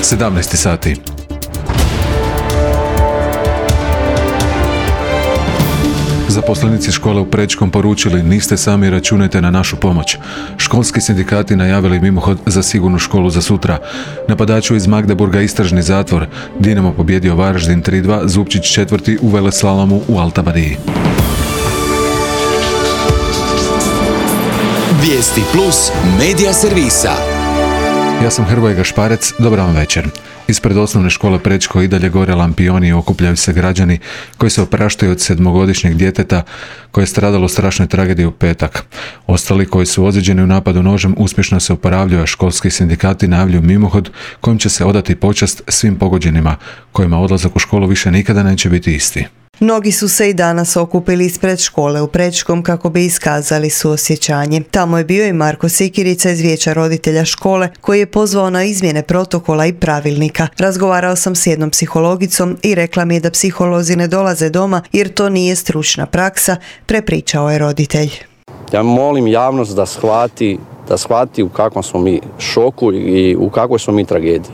17 sati. Zaposlenici škole u Prečkom poručili: niste sami, računajte na našu pomoć. Školski sindikati najavili mimohod za sigurnu školu za sutra. Napadaču iz Magdeburga istražni zatvor. Dinamo pobjedio Varaždin 3-2, Zupčić 4. u veleslalomu u Altabadiji. Vijesti plus medija servisa. Ja sam Hrvoje Gašparec, dobar vam večer. Ispred osnovne škole Prečko i dalje gore lampioni i okupljaju se građani koji se opraštaju od 7-godišnjeg djeteta koje je stradalo u strašnoj tragediji u petak. Ostali koji su ozlijeđeni u napadu nožem uspješno se oporavljaju, a školski sindikati najavljuju mimohod kojim će se odati počast svim pogođenima, kojima odlazak u školu više nikada neće biti isti. Mnogi su se i danas okupili ispred škole u Prečkom kako bi iskazali suosjećanje. Tamo je bio i Marko Sikirica iz Vijeća roditelja škole koji je pozvao na izmjene protokola i pravilnika. Razgovarao sam s jednom psihologicom i rekla mi je da psiholozi ne dolaze doma jer to nije stručna praksa, prepričao je roditelj. Ja molim javnost da shvati u kakvom smo mi šoku i u kakvoj smo mi tragediji.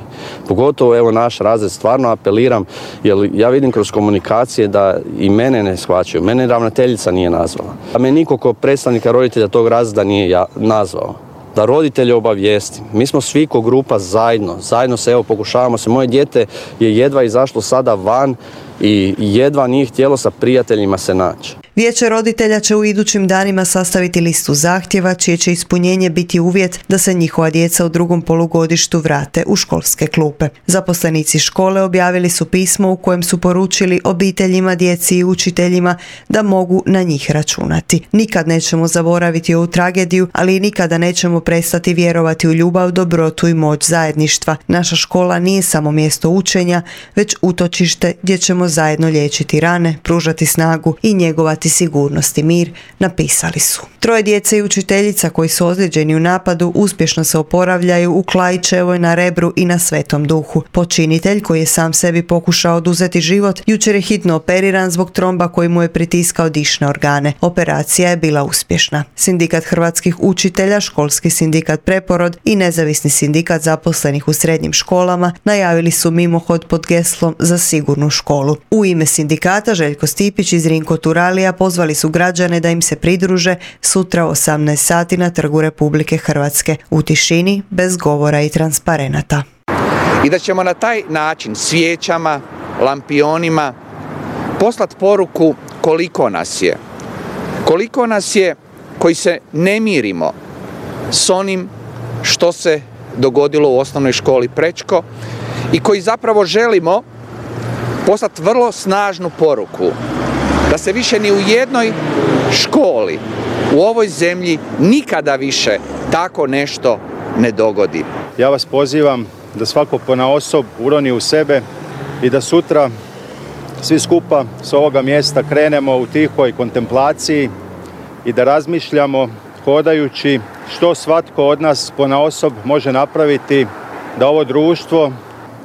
Pogotovo evo naš razred, stvarno apeliram, jer ja vidim kroz komunikacije da i mene ne shvaćaju. Mene ravnateljica nije nazvala. A me niko ko predstavnika roditelja tog razreda nije nazvao. Da roditelje obavijestim. Mi smo svi ko grupa zajedno se pokušavamo se. Moje dijete je jedva izašlo sada van i jedva nije htjelo sa prijateljima se naći. Vijeće roditelja će u idućim danima sastaviti listu zahtjeva čije će ispunjenje biti uvjet da se njihova djeca u drugom polugodištu vrate u školske klupe. Zaposlenici škole objavili su pismo u kojem su poručili obiteljima, djeci i učiteljima da mogu na njih računati. Nikad nećemo zaboraviti ovu tragediju, ali i nikada nećemo prestati vjerovati u ljubav, dobrotu i moć zajedništva. Naša škola nije samo mjesto učenja, već utočište gdje ćemo zajedno liječiti rane, pružati snagu i njegovati sigurnost i mir, napisali su. 3 djece i učiteljica koji su ozlijeđeni u napadu uspješno se oporavljaju u Klajićevoj, na Rebru i na Svetom Duhu. Počinitelj, koji je sam sebi pokušao oduzeti život, jučer je hitno operiran zbog tromba koji mu je pritiskao dišne organe. Operacija je bila uspješna. Sindikat hrvatskih učitelja, školski sindikat Preporod i nezavisni sindikat zaposlenih u srednjim školama najavili su mimohod pod geslom za sigurnu školu. U ime sindikata Željko Stipić iz Rinko Turalija pozvali su građane da im se pridruže sutra u 18 sati na Trgu Republike Hrvatske, u tišini, bez govora i transparenata. I da ćemo na taj način svijećama, lampionima poslati poruku koliko nas je. Koliko nas je koji se ne mirimo s onim što se dogodilo u osnovnoj školi Prečko i koji zapravo želimo poslati vrlo snažnu poruku da se više ni u jednoj školi u ovoj zemlji nikada više tako nešto ne dogodi. Ja vas pozivam da svako ponaosob uroni u sebe i da sutra svi skupa s ovoga mjesta krenemo u tihoj kontemplaciji i da razmišljamo hodajući što svatko od nas ponaosob može napraviti da ovo društvo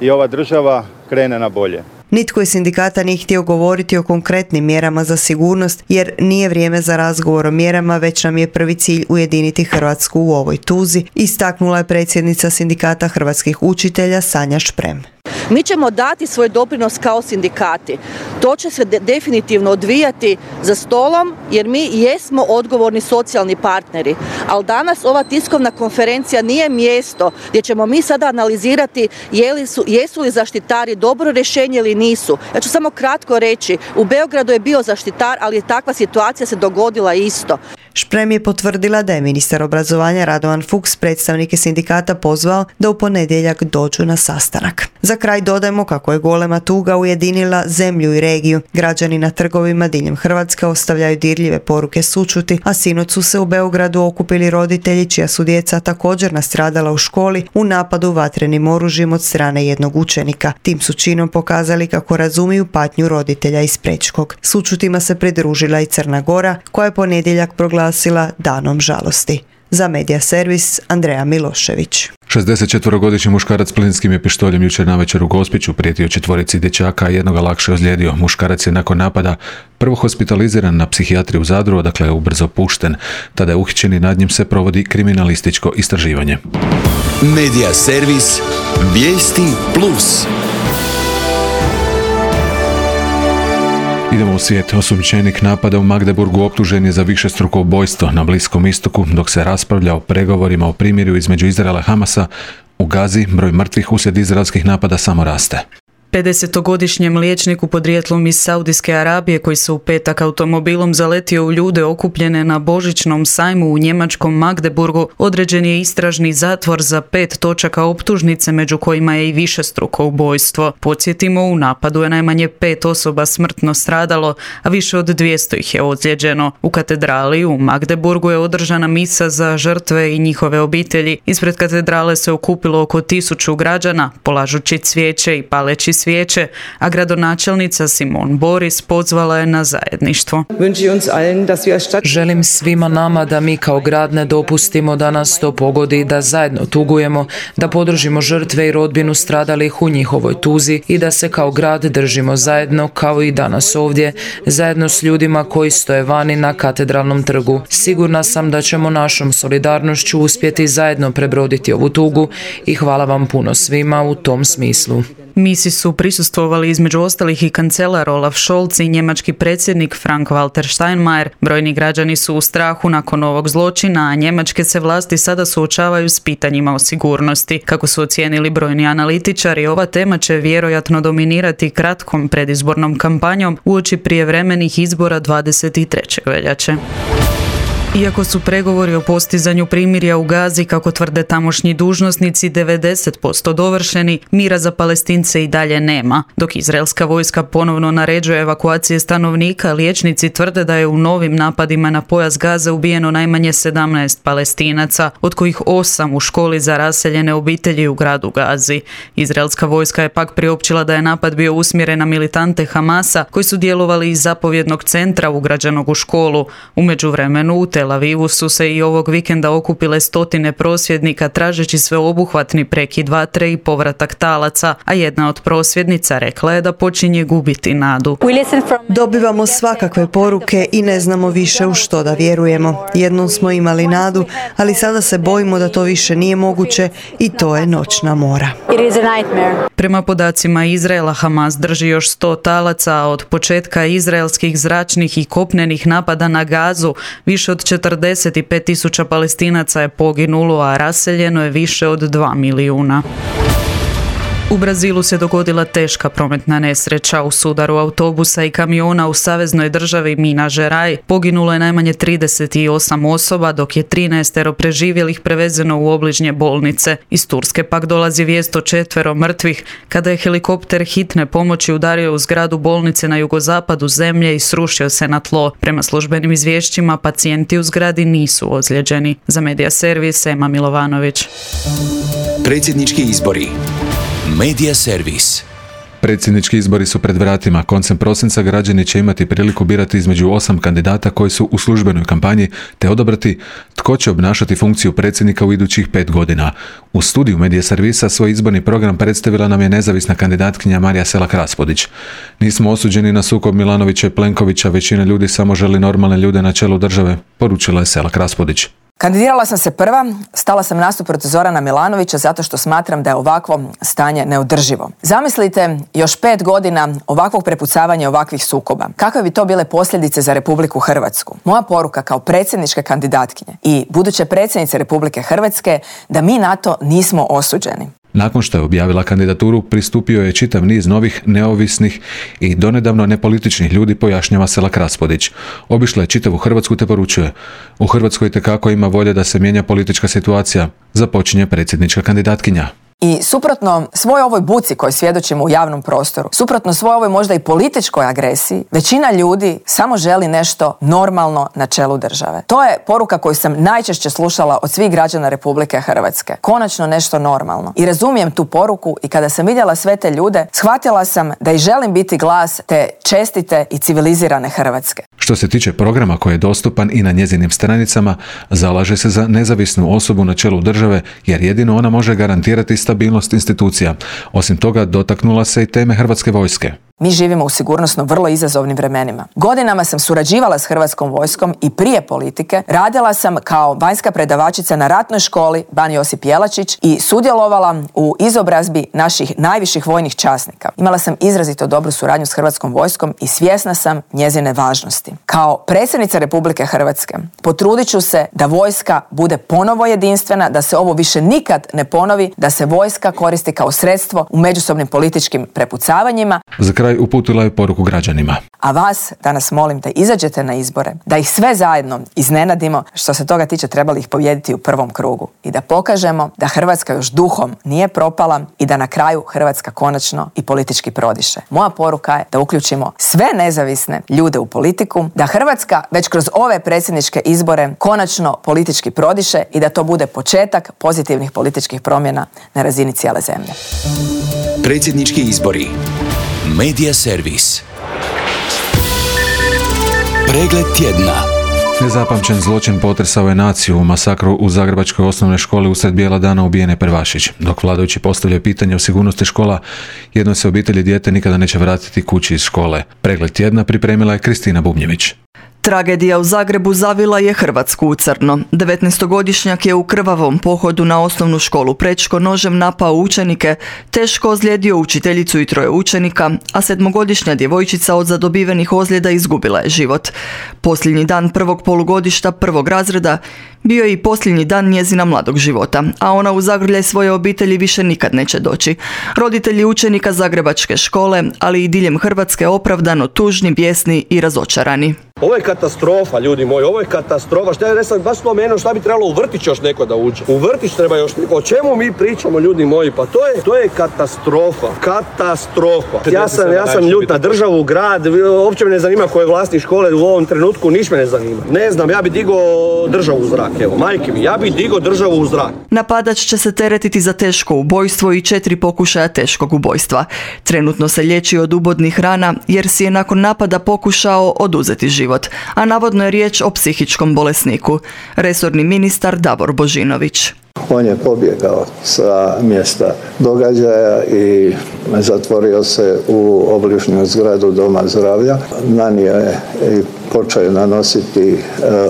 i ova država krene na bolje. Nitko iz sindikata nije htio govoriti o konkretnim mjerama za sigurnost jer nije vrijeme za razgovor o mjerama, već nam je prvi cilj ujediniti Hrvatsku u ovoj tuzi, istaknula je predsjednica sindikata hrvatskih učitelja Sanja Šprem. Mi ćemo dati svoj doprinos kao sindikati. To će se definitivno odvijati za stolom jer mi jesmo odgovorni socijalni partneri. Ali danas ova tiskovna konferencija nije mjesto gdje ćemo mi sada analizirati jesu li zaštitari dobro rješenje ili nisu. Ja ću samo kratko reći, u Beogradu je bio zaštitar, ali je takva situacija se dogodila isto. Šprem je potvrdila da je ministar obrazovanja Radovan Fuchs predstavnike sindikata pozvao da u ponedjeljak dođu na sastanak. Za kraj dodajmo kako je golema tuga ujedinila zemlju i regiju. Građani na trgovima diljem Hrvatske ostavljaju dirljive poruke sućuti, a sinoć su se u Beogradu okupili roditelji čija su djeca također nastradala u školi u napadu vatrenim oružjem od strane jednog učenika. Tim su činom pokazali kako razumiju patnju roditelja iz Prečkog. Sućutima se pridružila i Crna Gora, koja je ponedjeljak proglasila danom žalosti. Za Medija servis Andreja Milošević. 64-godišnji muškarac s plinskim je pištoljem jučer navečer u Gospiću prijetio 4 dječaka, a jednoga lakše ozlijedio. Muškarac je nakon napada prvo hospitaliziran na psihijatriju u Zadru, odakle je ubrzo pušten. Tada je uhićen i nad njim se provodi kriminalističko istraživanje. Medija servis Vijesti Plus. Idemo u svijet. Osumnjičenik napada u Magdeburgu optužen je za višestruko ubojstvo na Bliskom istoku. Dok se raspravlja o pregovorima o primirju između Izraela i Hamasa, u Gazi broj mrtvih uslijed izraelskih napada samo raste. 50-godišnjem liječniku podrijetlom iz Saudijske Arabije koji se u petak automobilom zaletio u ljude okupljene na božićnom sajmu u njemačkom Magdeburgu određen je istražni zatvor za 5 točaka optužnice, među kojima je i višestruko ubojstvo. Podsjetimo, u napadu je najmanje 5 osoba smrtno stradalo, a više od 200 ih je ozlijeđeno. U katedrali u Magdeburgu je održana misa za žrtve i njihove obitelji. Ispred katedrale se okupilo oko 1000 građana, polažući cvijeće i paleći svijeće, a gradonačelnica Simon Boris pozvala je na zajedništvo. Želim svima nama da mi kao grad ne dopustimo da nas to pogodi, da zajedno tugujemo, da podržimo žrtve i rodbinu stradalih u njihovoj tuzi i da se kao grad držimo zajedno kao i danas ovdje, zajedno s ljudima koji stoje vani na katedralnom trgu. Sigurna sam da ćemo našom solidarnošću uspjeti zajedno prebroditi ovu tugu i hvala vam puno svima u tom smislu. Misi su prisustvovali između ostalih i kancelar Olaf Scholz i njemački predsjednik Frank-Walter Steinmeier. Brojni građani su u strahu nakon ovog zločina, a njemačke se vlasti sada suočavaju s pitanjima o sigurnosti. Kako su ocijenili brojni analitičari, ova tema će vjerojatno dominirati kratkom predizbornom kampanjom uoči prijevremenih izbora 23. veljače. Iako su pregovori o postizanju primirja u Gazi, kako tvrde tamošnji dužnosnici, 90% dovršeni, mira za Palestince i dalje nema. Dok izraelska vojska ponovno naređuje evakuacije stanovnika, liječnici tvrde da je u novim napadima na pojas Gaze ubijeno najmanje 17 Palestinaca, od kojih 8 u školi za raseljene obitelji u gradu Gazi. Izraelska vojska je pak priopćila da je napad bio usmjeren na militante Hamasa, koji su djelovali iz zapovjednog centra ugrađenog u školu. U međuvremenu u Tel Avivu su se i ovog vikenda okupile stotine prosvjednika tražeći sveobuhvatni prekid vatre i povratak talaca, a jedna od prosvjednica rekla je da počinje gubiti nadu. Dobivamo svakakve poruke i ne znamo više u što da vjerujemo. Jednom smo imali nadu, ali sada se bojimo da to više nije moguće i to je noćna mora. Prema podacima Izraela, Hamas drži još 100 talaca, a od početka izraelskih zračnih i kopnenih napada na Gazu više od 45.000 Palestinaca je poginulo, a raseljeno je više od 2 milijuna. U Brazilu se dogodila teška prometna nesreća. U sudaru autobusa i kamiona u saveznoj državi Minas Gerais poginulo je najmanje 38 osoba, dok je 13 preživjelih prevezeno u obližnje bolnice. Iz Turske pak dolazi vijest o 4 mrtvih kada je helikopter hitne pomoći udario u zgradu bolnice na jugozapadu zemlje i srušio se na tlo. Prema službenim izvješćima, pacijenti u zgradi nisu ozlijeđeni. Za Medija servis, Ema Milovanović. Predsjednički izbori. Medija servis. Predsjednički izbori su pred vratima. Koncem prosinca građani će imati priliku birati između 8 kandidata koji su u službenoj kampanji te odabrati tko će obnašati funkciju predsjednika u idućih 5 godina. U studiju Medija servisa svoj izborni program predstavila nam je nezavisna kandidatkinja Marija Selak-Raspudić. Nismo osuđeni na sukob Milanovića i Plenkovića, većina ljudi samo želi normalne ljude na čelu države, poručila je Selak-Raspudić. Kandidirala sam se prva, stala sam nasuprot Zorana Milanovića zato što smatram da je ovakvo stanje neodrživo. Zamislite još 5 godina ovakvog prepucavanja i ovakvih sukoba. Kakve bi to bile posljedice za Republiku Hrvatsku? Moja poruka kao predsjedničke kandidatkinje i buduće predsjednice Republike Hrvatske da mi na to nismo osuđeni. Nakon što je objavila kandidaturu, pristupio je čitav niz novih, neovisnih i donedavno nepolitičnih ljudi, pojašnjava Selak-Raspudić. Obišla je čitavu Hrvatsku te poručuje: u Hrvatskoj itekako ima volje da se mijenja politička situacija, započinje predsjednička kandidatkinja. I suprotno svoj ovoj buci koju svjedočimo u javnom prostoru, suprotno svoj ovoj možda i političkoj agresiji, većina ljudi samo želi nešto normalno na čelu države. To je poruka koju sam najčešće slušala od svih građana Republike Hrvatske. Konačno nešto normalno. I razumijem tu poruku i kada sam vidjela sve te ljude, shvatila sam da i želim biti glas te čestite i civilizirane Hrvatske. Što se tiče programa koji je dostupan i na njezinim stranicama, zalaže se za nezavisnu osobu na čelu države, jer jedino ona može garantirati stabilnost institucija. Osim toga, dotaknula se i teme Hrvatske vojske. Mi živimo u sigurnosno vrlo izazovnim vremenima. Godinama sam surađivala s Hrvatskom vojskom i prije politike radila sam kao vanjska predavačica na ratnoj školi Ban Josip Jelačić i sudjelovala u izobrazbi naših najviših vojnih časnika. Imala sam izrazito dobru suradnju s Hrvatskom vojskom i svjesna sam njezine važnosti. Kao predsjednica Republike Hrvatske potrudit ću se da vojska bude ponovo jedinstvena, da se ovo više nikad ne ponovi, da se vojska koristi kao sredstvo u međusobnim političkim prepucavanjima. Za kraj uputila je poruku građanima. A vas danas molim da izađete na izbore, da ih sve zajedno iznenadimo. Što se toga tiče, trebali ih pobijediti u prvom krugu i da pokažemo da Hrvatska još duhom nije propala i da na kraju Hrvatska konačno i politički prodiše. Moja poruka je da uključimo sve nezavisne ljude u politiku, da Hrvatska već kroz ove predsjedničke izbore konačno politički prodiše i da to bude početak pozitivnih političkih promjena na razini cijele zemlje. Predsjednički izbori. Media servis. Pregled tjedna. Nezapamćen zločin potresao je naciju. U masakru u zagrebačkoj osnovnoj školi usred bijela dana ubijen je prvašić. Dok vladajući postavljaju pitanje o sigurnosti škola, jednoj se obitelji dijete nikada neće vratiti kući iz škole. Pregled tjedna pripremila je Kristina Bubnjević. Tragedija u Zagrebu zavila je Hrvatsku u crno. 19-godišnjak je u krvavom pohodu na osnovnu školu Prečko nožem napao učenike, teško ozlijedio učiteljicu i 3 učenika, a 7-godišnja djevojčica od zadobivenih ozljeda izgubila je život. Posljednji dan prvog polugodišta 1. razreda bio je i posljednji dan njezina mladog života, a ona u zagrljaj svoje obitelji više nikad neće doći. Roditelji učenika zagrebačke škole, ali i diljem Hrvatske opravdano tužni, bijesni i razočarani. Ovo je katastrofa, ljudi moji, ovo je katastrofa. Šta ja ne sam baš spomenuo, šta bi trebalo u vrtić još neko da uđe? U vrtić treba još neko. O čemu mi pričamo, ljudi moji? Pa to je katastrofa. Katastrofa. Ja sam ljut na državu, grad, uopće me ne zanima ko je vlasnik škole u ovom trenutku, niš me ne zanima. Ne znam, ja bi digao državu u zrak, evo, majke mi, ja bi digao državu u zrak. Napadač će se teretiti za teško ubojstvo i 4 pokušaja teškog ubojstva. Trenutno se liječi od ubodnih rana jer si je nakon napada pokušao oduzeti život, a navodno je riječ o psihičkom bolesniku. Resorni ministar Davor Božinović. On je pobjegao sa mjesta događaja i zatvorio se u obližnju zgradu Doma zdravlja. Nanio je i počeo nanositi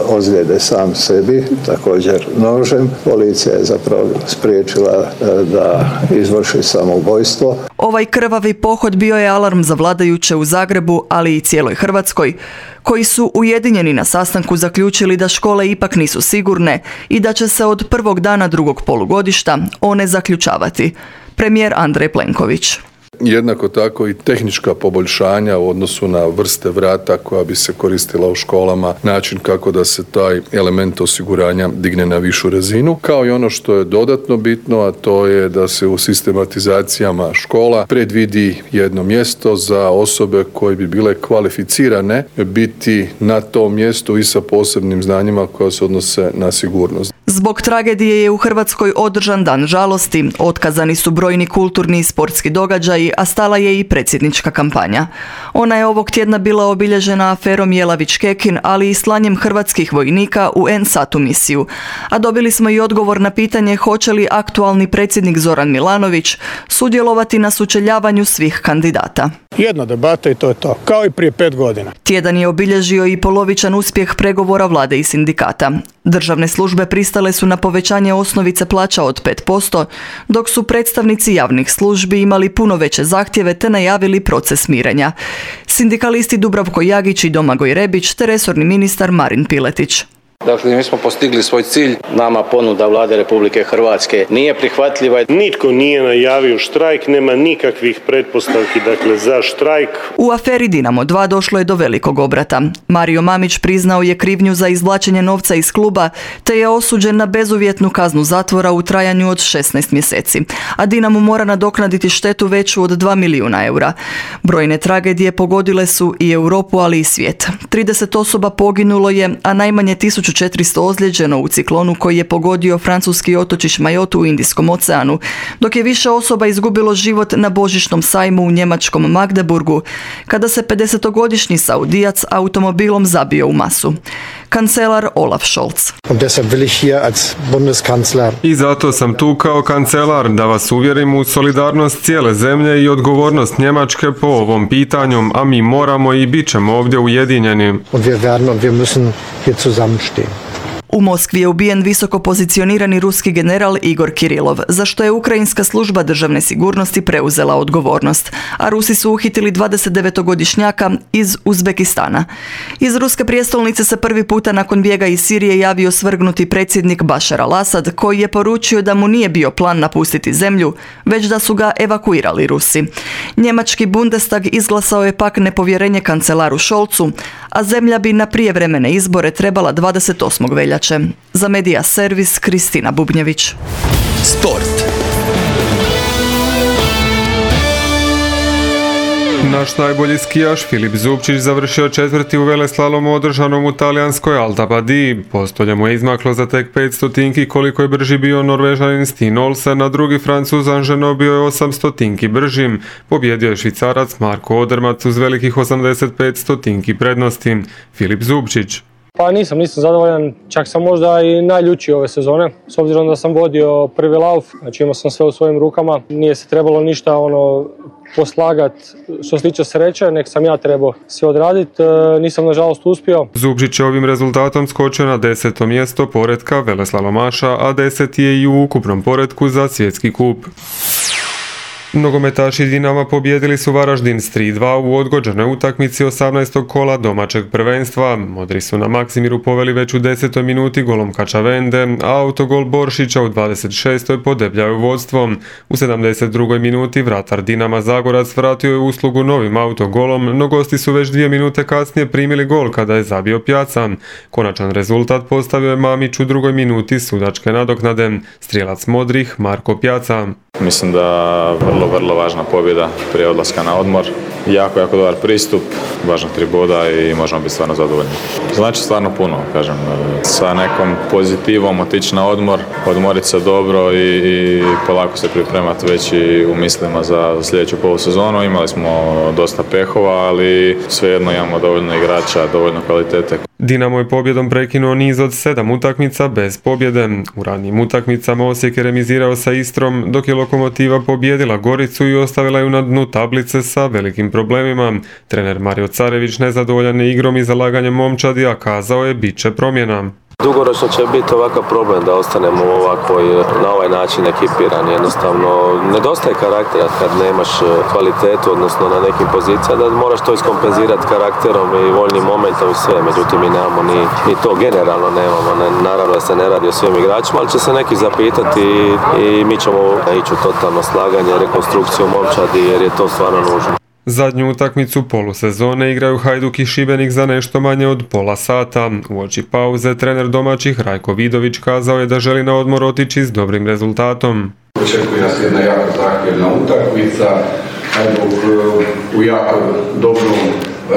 ozljede sam sebi, također nožem. Policija je zapravo spriječila da izvrši samoubojstvo. Ovaj krvavi pohod bio je alarm za vladajuće u Zagrebu, ali i cijeloj Hrvatskoj, koji su ujedinjeni na sastanku zaključili da škole ipak nisu sigurne i da će se od prvog dana drugog polugodišta one zaključavati. Premijer Andrej Plenković. Jednako tako i tehnička poboljšanja u odnosu na vrste vrata koja bi se koristila u školama, način kako da se taj element osiguranja digne na višu razinu, kao i ono što je dodatno bitno, a to je da se u sistematizacijama škola predvidi jedno mjesto za osobe koje bi bile kvalificirane biti na tom mjestu i sa posebnim znanjima koja se odnose na sigurnost. Zbog tragedije je u Hrvatskoj održan dan žalosti, otkazani su brojni kulturni i sportski događaji, a stala je i predsjednička kampanja. Ona je ovog tjedna bila obilježena aferom Jelavić-Kekin, ali i slanjem hrvatskih vojnika u NSATU misiju. A dobili smo i odgovor na pitanje hoće li aktualni predsjednik Zoran Milanović sudjelovati na sučeljavanju svih kandidata. Jedna debata i to je to, kao i prije 5 godina. Tjedan je obilježio i polovičan uspjeh pregovora vlade i sindikata. Državne službe pristale su na povećanje osnovice plaća od 5%, dok su predstavnici javnih službi imali puno veće zahtjeve te najavili proces mirenja. Sindikalisti Dubravko Jagić i Domagoj Rebić te resorni ministar Marin Piletić. Dakle, mi smo postigli svoj cilj. Nama ponuda Vlade Republike Hrvatske nije prihvatljiva. Nitko nije najavio štrajk, nema nikakvih pretpostavki za štrajk. U aferi Dinamo 2 došlo je do velikog obrata. Mario Mamić priznao je krivnju za izvlačenje novca iz kluba, te je osuđen na bezuvjetnu kaznu zatvora u trajanju od 16 mjeseci. A Dinamo mora nadoknaditi štetu veću od 2 milijuna eura. Brojne tragedije pogodile su i Europu, ali i svijet. 30 osoba poginulo je, a najmanje 1400 ozlijeđeno u ciklonu koji je pogodio francuski otočić Mayotte u Indijskom oceanu, dok je više osoba izgubilo život na božićnom sajmu u njemačkom Magdeburgu, kada se 50-godišnji Saudijac automobilom zabio u masu. Kancelar Olaf Scholz. I zato sam tu kao kancelar da vas uvjerim u solidarnost cijele zemlje i odgovornost Njemačke po ovom pitanju, a mi moramo i bit ćemo ovdje ujedinjeni. U Moskvi je ubijen visoko pozicionirani ruski general Igor Kirilov, za što je ukrajinska služba državne sigurnosti preuzela odgovornost, a Rusi su uhitili 29-godišnjaka iz Uzbekistana. Iz ruske prijestolnice se prvi puta nakon bijega iz Sirije javio svrgnuti predsjednik Bashar al-Assad, koji je poručio da mu nije bio plan napustiti zemlju, već da su ga evakuirali Rusi. Njemački Bundestag izglasao je pak nepovjerenje kancelaru Scholzu, a zemlja bi na prijevremene izbore trebala 28. veljače. Za Media Servis Kristina Bubnjević. Sport. Naš najbolji skijaš Filip Zubčić završio 4. u veleslalomu održanom u talijanskoj Alta Badiji. Postolje mu je izmaklo za tek 500 koliko je brži bio Norvežanin Steen Olsen, a drugi Francuz Anženo bio je 800 bržim. Pobjedio je Švicarac Marko Odermac uz velikih 85 prednosti. Filip Zubčić. Pa nisam zadovoljan, čak sam možda i najljučiji ove sezone, s obzirom da sam vodio prvi lauf, znači imao sam sve u svojim rukama, nije se trebalo ništa poslagat što se tiče sreće, nek sam ja trebao sve odraditi, nisam nažalost uspio. Zubčić je ovim rezultatom skočio na 10. mjesto poretka veleslalomaša, a 10. je i u ukupnom poretku za svjetski kup. Nogometaši Dinama pobijedili su Varaždin s 3-2 u odgođenoj utakmici 18. kola domaćeg prvenstva. Modri su na Maksimiru poveli već u 10. minuti golom Kačavende, a autogol Boršića u 26. podebljaju vodstvom. U 72. minuti vratar Dinama Zagorac vratio je uslugu novim autogolom, no gosti su već 2 minute kasnije primili gol kada je zabio Pjaca. Konačan rezultat postavio je Mamić u 2. minuti sudačke nadoknade. Strijelac modrih Marko Pjaca. Mislim da vrlo važna pobjeda prije odlaska na odmor. Jako dobar pristup, važno 3 boda i možemo biti stvarno zadovoljni. Znači stvarno puno, kažem, sa nekom pozitivom otići na odmor, odmoriti se dobro i polako se pripremati već i u mislima za sljedeću polusezonu. Imali smo dosta pehova, ali svejedno imamo dovoljno igrača, dovoljno kvalitete. Dinamo je pobjedom prekinuo niz od 7 utakmica bez pobjede. U ranijim utakmicama Osijek je remizirao sa Istrom, dok je Lokomotiva pobjedila Goricu i ostavila ju na dnu tablice sa velikim problemima. Trener Mario Carević nezadovoljan je igrom i zalaganjem momčadi, a kazao je bit će promjena. Dugoročno će biti ovakav problem da ostanemo na ovaj način ekipirani. Jednostavno, nedostaje karaktera kad nemaš kvalitetu, odnosno na nekim pozicijama, da moraš to iskompenzirati karakterom i voljnim momentom i sve. Međutim, mi nemamo ni to, generalno nemamo. Naravno da se ne radi o svim igračima, ali će se neki zapitati i mi ćemo ići u totalno slaganje, rekonstrukciju momčadi jer je to stvarno nužno. Zadnju utakmicu polusezone igraju Hajduk i Šibenik za nešto manje od pola sata. Uoči pauze trener domaćih Rajko Vidović kazao je da želi na odmor otići s dobrim rezultatom. Očekuje nas jedna jako zahtjevna utakmica. Hajduk u jako dobrom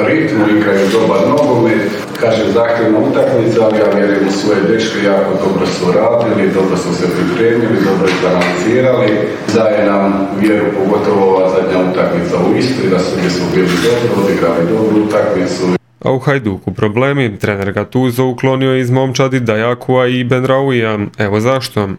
ritmu igraju dobar nogomet. Kažem zahtjevna utakmica, ali ja vjerujem u svoje dečke, jako dobro su radili, dobro su se pripremili, dobro izanalizirali. Daje nam vjeru, pogotovo ova zadnja utakmica u Istri, da su gdje smo bili dobro, odigrali dobru utakmicu. A u Hajduku problemi, trener Gattuso uklonio je iz momčadi Dajakua i Benrauija. Evo zašto.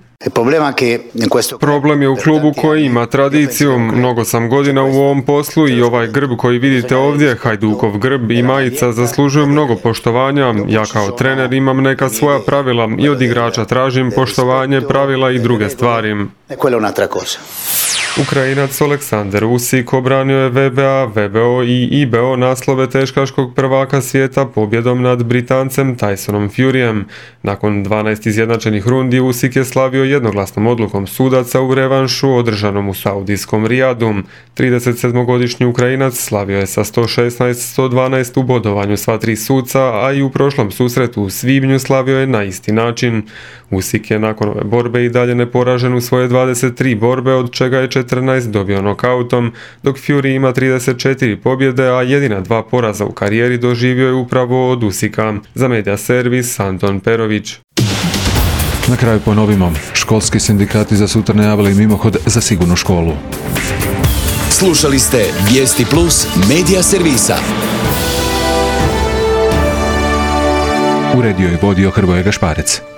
Problem je u klubu koji ima tradiciju. Mnogo sam godina u ovom poslu i ovaj grb koji vidite ovdje, Hajdukov grb i majica, zaslužuju mnogo poštovanja. Ja kao trener imam neka svoja pravila i od igrača tražim poštovanje, pravila i druge stvari. Ukrajinac Aleksandar Usik obranio je VBA, VBO i IBO naslove teškaškog prvaka svijeta pobjedom nad Britancem Tysonom Furyjem. Nakon 12 izjednačenih rundi Usik je slavio jednoglasnom odlukom sudaca u revanšu održanom u saudijskom Rijadu. 37-godišnji Ukrajinac slavio je sa 116-112 u bodovanju sva tri suca, a i u prošlom susretu u svibnju slavio je na isti način. Usik je nakon ove borbe i dalje neporažen u svoje 23 borbe, od čega je 14 dobio nokautom, dok Fury ima 34 pobjede, a jedina 2 poraza u karijeri doživio je upravo od Usika. Za Media Servis, Anton Perović. Na kraju ponovimo, školski sindikati za sutra najavili mimohod za sigurnu školu. Slušali ste Vijesti Plus Media Servisa. Uredio i vodio Hrvoje Gašparec.